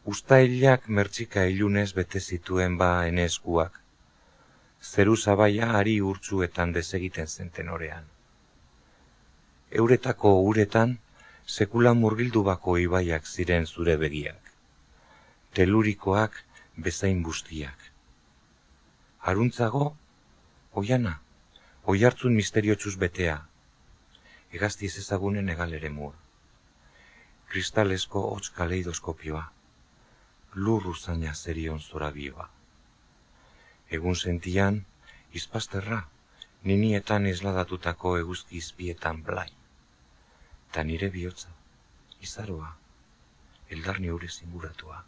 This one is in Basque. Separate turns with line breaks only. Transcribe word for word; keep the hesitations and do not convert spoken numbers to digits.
Uztailak mertxika ilunez bete zituen ba ene eskuak, zeru zabaia ari urtzuetan desegiten zen tenorean. Euretako uretan sekula murgildu bako ibaiak ziren zure begiak, telurikoak bezain bustiak. Haruntzago, oiana, oihartzun misteriotxuz betea, hegazti ez ezagunen egaleremua, kristalesko hotz kaleidoskopioa, lur uzaina zerion zorabioa. Egun sentian, izpasterra, ninietan isladatutako eguzki izpietan blai, ta nire bihotza, izaroa, eldarni urez inguratua.